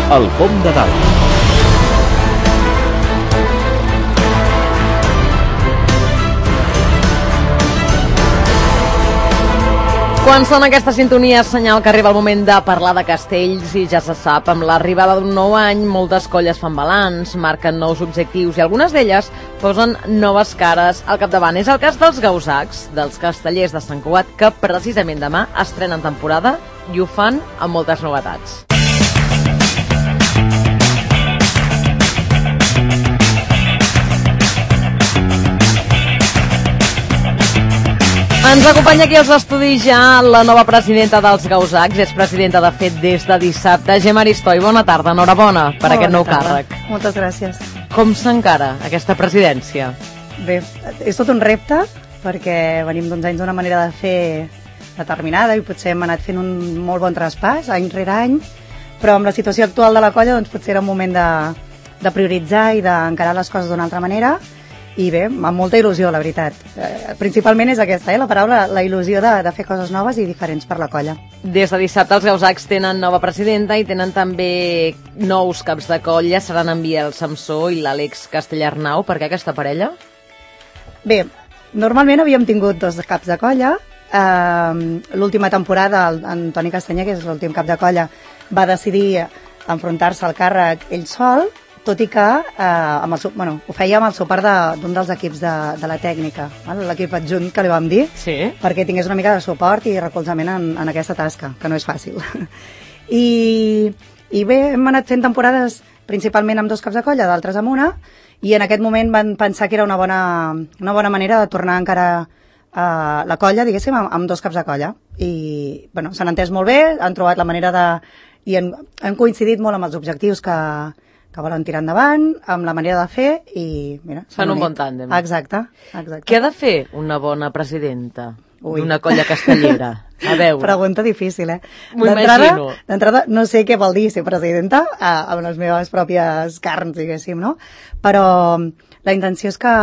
El Pom de Dalt. Quan sona aquesta sintonia és senyal que arriba el moment de parlar de castells i ja se sap, amb l'arribada d'un nou any moltes colles fan balanç, marquen nous objectius i algunes d'elles posen noves cares al capdavant. És el cas dels Gausacs, dels castellers de Sant Cugat, que precisament demà estrenen temporada i ho fan amb moltes novetats. Ens acompanya aquí als estudis ja la nova presidenta dels Gausacs, és presidenta de fet des de dissabte, Gemma Aristoi. Bona tarda, enhorabona per aquest nou càrrec. Moltes gràcies. Com s'encara aquesta presidència? Bé, és tot un repte, perquè venim d'uns anys d'una manera de fer determinada i potser hem anat fent un molt bon traspàs, any rere any, però amb la situació actual de la colla doncs potser era un moment de prioritzar i d'encarar les coses d'una altra manera. I bé, amb molta il·lusió, la veritat. Principalment és aquesta, la paraula, la il·lusió de fer coses noves i diferents per la colla. Des de dissabte els Gausacs tenen nova presidenta i tenen també nous caps de colla, seran en Biel Samsó i l'Àlex Castellarnau. Per què aquesta parella? Bé, normalment havíem tingut dos caps de colla. L'última temporada, en Toni Castanyer, que és l'últim cap de colla, va decidir enfrontar-se al càrrec ell sol, tot i que ho feia amb el suport d'un dels equips de la tècnica, l'equip adjunt que li vam dir, sí, perquè tingués una mica de suport i recolzament en aquesta tasca, que no és fàcil. I bé, hem anat fent temporades principalment amb dos caps de colla, d'altres amb una, i en aquest moment van pensar que era una bona manera de tornar encara la colla, diguéssim, amb dos caps de colla. I bueno, s'han entès molt bé, han trobat la manera i han coincidit molt amb els objectius que volen tirar endavant, amb la manera de fer i mira... Fan un bon tàndem. Exacte. Què ha de fer una bona presidenta d'una colla castellera? A veure. Pregunta difícil, M'ho imagino. D'entrada, no sé què vol dir ser presidenta amb les meves pròpies carns, diguéssim, no? Però la intenció és que...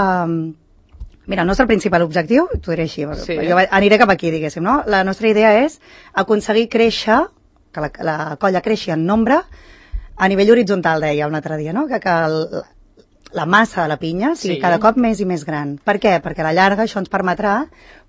Mira, el nostre principal objectiu, t'ho diré així, sí, jo aniré cap aquí, diguéssim, no? La nostra idea és aconseguir créixer, que la colla creixi en nombre, a nivell horitzontal, deia un altre dia, no? Que la massa de la pinya sigui cada cop més i més gran. Per què? Perquè a la llarga això ens permetrà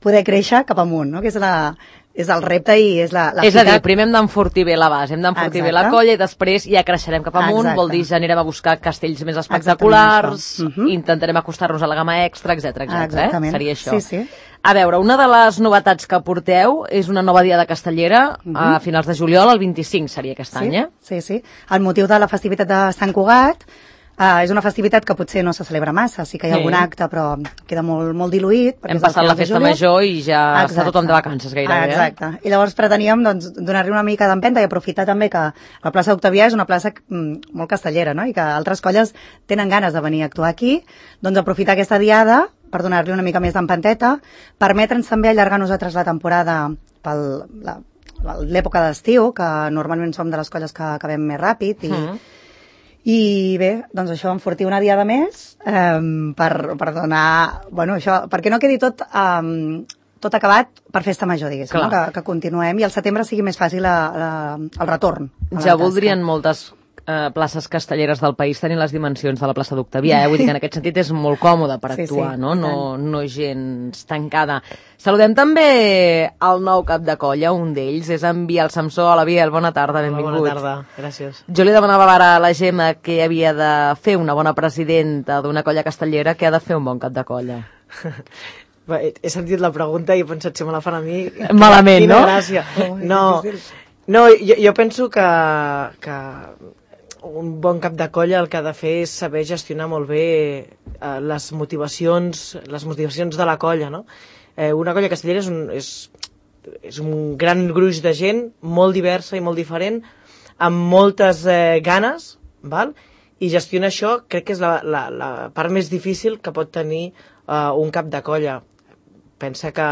poder créixer cap amunt, no? Que és el repte i és la És a dir, primer hem d'enfortir bé la base, hem d'enfortir bé la colla i després ja creixerem cap amunt, vol dir ja anirem a buscar castells més espectaculars, intentarem acostar-nos a la gamma extra, etc. Exactament. Seria això. Sí. A veure, una de les novetats que porteu és una nova diada castellera a finals de juliol, el 25 seria aquest any, Sí. El motiu de la festivitat de Sant Cugat és una festivitat que potser no se celebra massa, sí que hi ha algun acte, però queda molt diluït. Hem passat la festa major i ja està tothom de vacances gairebé. Exacte. I llavors preteníem donar-li una mica d'empenta i aprofitar també que la plaça Octavià és una plaça molt castellera, no? I que altres colles tenen ganes de venir a actuar aquí, doncs aprofitar aquesta diada per donar-li una mica més d'empenteta, permetre'ns també allargar nosaltres la temporada per l'època d'estiu, que normalment som de les colles que acabem més ràpid, i bé, doncs això, enfortir una diada més per donar... Bueno, això, perquè no quedi tot acabat per festa major, diguéssim, no? Que continuem i al setembre sigui més fàcil el retorn. Ja voldrien moltes places castelleres del país tenir les dimensions de la plaça d'Octavià, vull dir que en aquest sentit és molt còmode per actuar, no gens tancada. Saludem també el nou cap de colla, un d'ells, és en Biel Samsó. Hola Biel, bona tarda, benvingut. Bona tarda, gràcies. Jo li demanava ara a la Gemma que havia de fer una bona presidenta d'una colla castellera, que ha de fer un bon cap de colla. He sentit la pregunta i he pensat si me la fan a mi... Malament, no? Gràcia. No, jo penso que un bon cap de colla el que ha de fer és saber gestionar molt bé les motivacions de la colla, no? Una colla castellera és un gran gruix de gent, molt diversa i molt diferent, amb moltes ganes, val? I gestionar això crec que és la part més difícil que pot tenir un cap de colla. Pensa que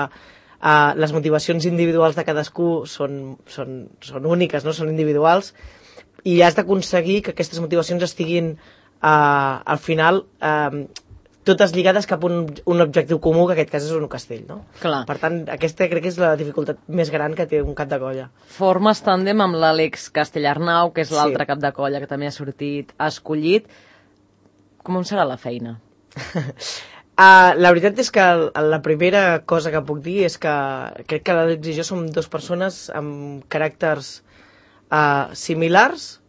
les motivacions individuals de cadascú són úniques, no? Són individuals, i has d'aconseguir que aquestes motivacions estiguin al final totes lligades cap a un objectiu comú, que en aquest cas és un castell, no? Clar. Per tant, aquesta crec que és la dificultat més gran que té un cap de colla. Formes tàndem amb l'Àlex Castellarnau, que és l'altre Sí. cap de colla que també ha sortit escollit. Com serà la feina? La veritat és que la primera cosa que puc dir és que crec que l'Àlex i jo som dues persones amb caràcters similars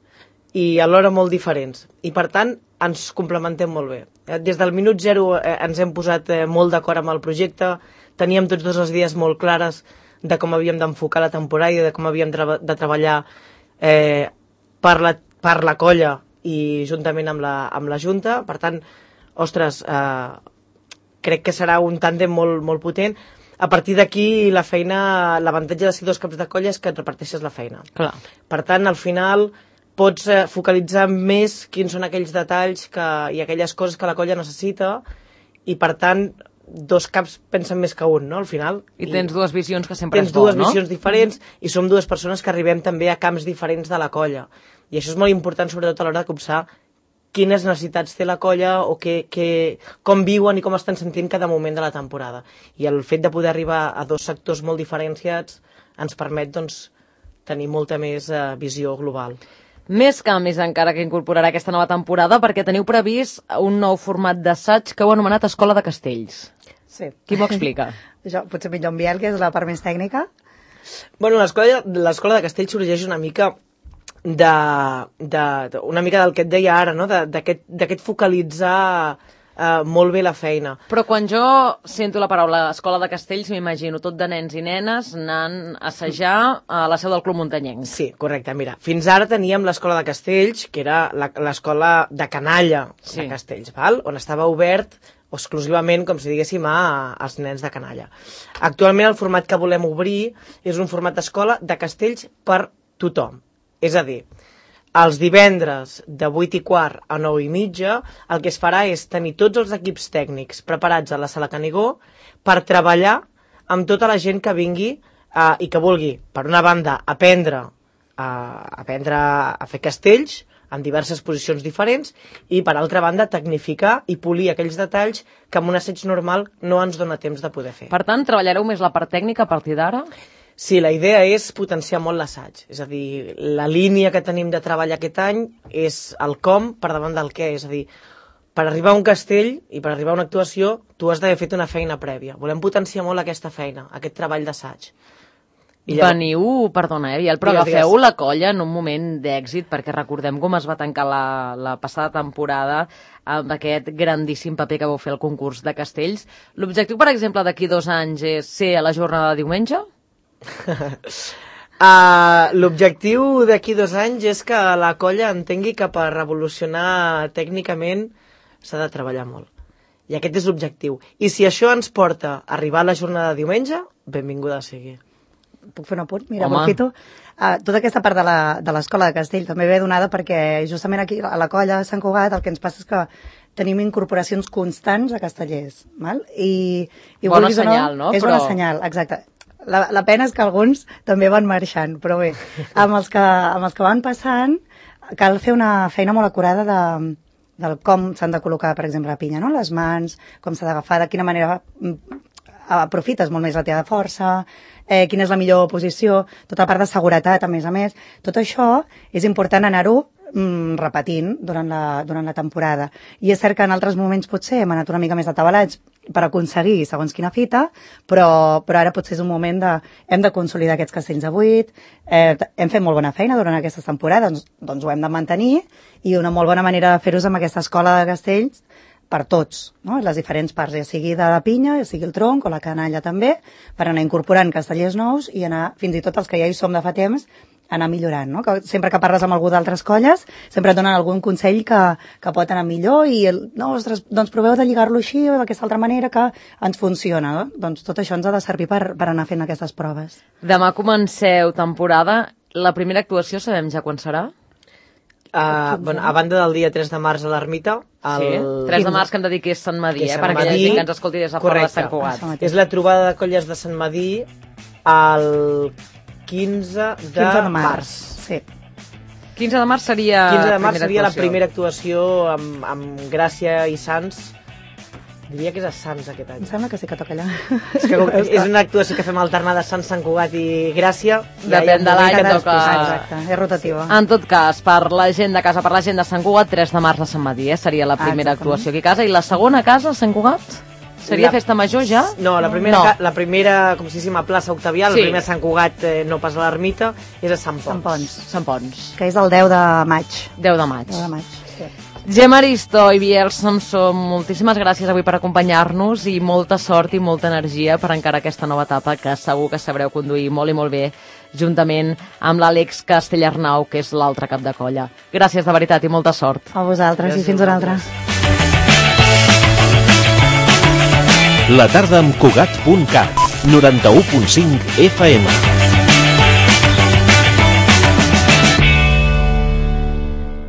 i alhora molt diferents. I per tant, ens complementem molt bé. Des del minut zero ens hem posat molt d'acord amb el projecte, teníem tots dos les idees molt clares de com havíem d'enfocar la temporada i de com havíem de treballar per la colla i juntament amb la Junta. Per tant, ostres, crec que serà un tàndem molt, molt potent. A partir d'aquí, la feina, l'avantatge de ser dos caps de colla és que et reparteixes la feina. Clar. Per tant, al final, pots focalitzar més quins són aquells detalls i aquelles coses que la colla necessita i, per tant, dos caps pensen més que un, no?, al final. I tens dues visions que sempre tens és bo, no? Tens dues visions diferents i som dues persones que arribem també a camps diferents de la colla. I això és molt important, sobretot a l'hora de copsar quines necessitats té la colla o com viuen i com estan sentint cada moment de la temporada. I el fet de poder arribar a dos sectors molt diferenciats ens permet, doncs, tenir molta més visió global. Més canvis encara que incorporarà aquesta nova temporada, perquè teniu previst un nou format d'assaig que heu anomenat Escola de Castells. Sí. Qui m'ho explica? Això, potser millor en Biel, que és la part més tècnica. Bueno, l'escola de Castells sorgeix una mica una mica del que et deia ara, no? D'aquest focalitzar molt bé la feina. Però quan jo sento la paraula Escola de Castells m'imagino tot de nens i nenes anant a assajar a la seu del Club Muntanyenc. Sí, correcte. Mira, fins ara teníem l'Escola de Castells, que era l'escola de canalla de Castells, val? On estava obert exclusivament, com si diguéssim, als nens de canalla. Actualment el format que volem obrir és un format d'escola de castells per tothom. És a dir, els divendres de 8:15 a 9:30 el que es farà és tenir tots els equips tècnics preparats a la Sala Canigó per treballar amb tota la gent que vingui i que vulgui, per una banda, aprendre a fer castells en diverses posicions diferents i, per altra banda, tecnificar i polir aquells detalls que amb un assaig normal no ens dona temps de poder fer. Per tant, treballareu més la part tècnica a partir d'ara? Sí, la idea és potenciar molt l'assaig. És a dir, la línia que tenim de treballar aquest any és el com per davant del què. És a dir, per arribar a un castell i per arribar a una actuació, tu has d'haver fet una feina prèvia. Volem potenciar molt aquesta feina, aquest treball d'assaig. Veniu, perdona, Biel, però agafeu la colla en un moment d'èxit, perquè recordem com es va tancar la passada temporada amb aquest grandíssim paper que vau fer al concurs de castells. L'objectiu, per exemple, d'aquí 2 anys és ser a la jornada de diumenge? L'objectiu d'aquí 2 anys és que la colla entengui que per revolucionar tècnicament s'ha de treballar molt. I aquest és l'objectiu. I si això ens porta a arribar a la jornada de diumenge, benvinguda sigui. Puc fer un apunt? Mira, aprofito. Tota aquesta part de l'escola de Castell també ve donada perquè justament aquí a la colla de Sant Cugat el que ens passa és que tenim incorporacions constants a castellers. Val? I bona senyal, no? És bona senyal, exacte. La pena és que alguns també van marxant, però bé, amb els que van passant cal fer una feina molt acurada del com s'han de col·locar, per exemple, la pinya, no? Les mans, com s'ha d'agafar, de quina manera aprofites molt més la teva força, quina és la millor posició, tota la part de seguretat, a més. Tot això és important anar-ho repetint durant la temporada. I és cert que en altres moments potser hem anat una mica més atabalats per aconseguir segons quina fita, però ara potser és un moment hem de consolidar aquests castells de 8, hem fet molt bona feina durant aquestes temporades, doncs ho hem de mantenir, i una molt bona manera de fer-ho és amb aquesta escola de castells per tots, no? Les diferents parts, ja sigui de la pinya, ja sigui el tronc o la canalla també, per anar incorporant castellers nous i anar, fins i tot els que ja hi som de fa temps, anar millorant, no? Que sempre que parles amb algú d'altres colles, sempre et donen algun consell que pot anar millor i, ostres, doncs proveu de lligar-lo així o d'aquesta altra manera que ens funciona, no? Doncs tot això ens ha de servir per anar fent aquestes proves. Demà comenceu temporada. La primera actuació sabem ja quan serà? A banda del dia 3 de març a l'Ermita... Sí, 3 de març que hem de dir que és Sant Madí, perquè hi ha gent que ens escolti des de fora de Sant Cugat. És la trobada de colles de Sant Madí el 15 de març. Sí. 15 de març seria 15 de març seria la primera actuació amb Gràcia i Sants Diria que és a Sants aquest any. Em sembla que sí que toca allà. És que és una actuació que fem alternada Sants, Sant Cugat i Gràcia. Depèn de l'any que toca. Exacte, és rotativa. En tot cas, per la gent de casa, per la gent de Sant Cugat, 3 de març a Sant Madí, seria la primera actuació aquí a casa. I la segona casa a Sant Cugat? Seria festa major ja? No, la primera com si diguéssim, a plaça Octavià, la primera a Sant Cugat, no pas a l'Ermita, és a Sant Pons. Sant Pons. Que és el 10 de maig. 10 de maig. 10 de maig, sí. Gemma Aristo i Biel Samson, moltíssimes gràcies avui per acompanyar-nos i molta sort i molta energia per encarar aquesta nova etapa que segur que sabreu conduir molt i molt bé juntament amb l'Àlex Castellarnau, que és l'altre cap de colla. Gràcies de veritat i molta sort. A vosaltres i fins una altra. La tarda amb Cugat.cat, 91.5 FM.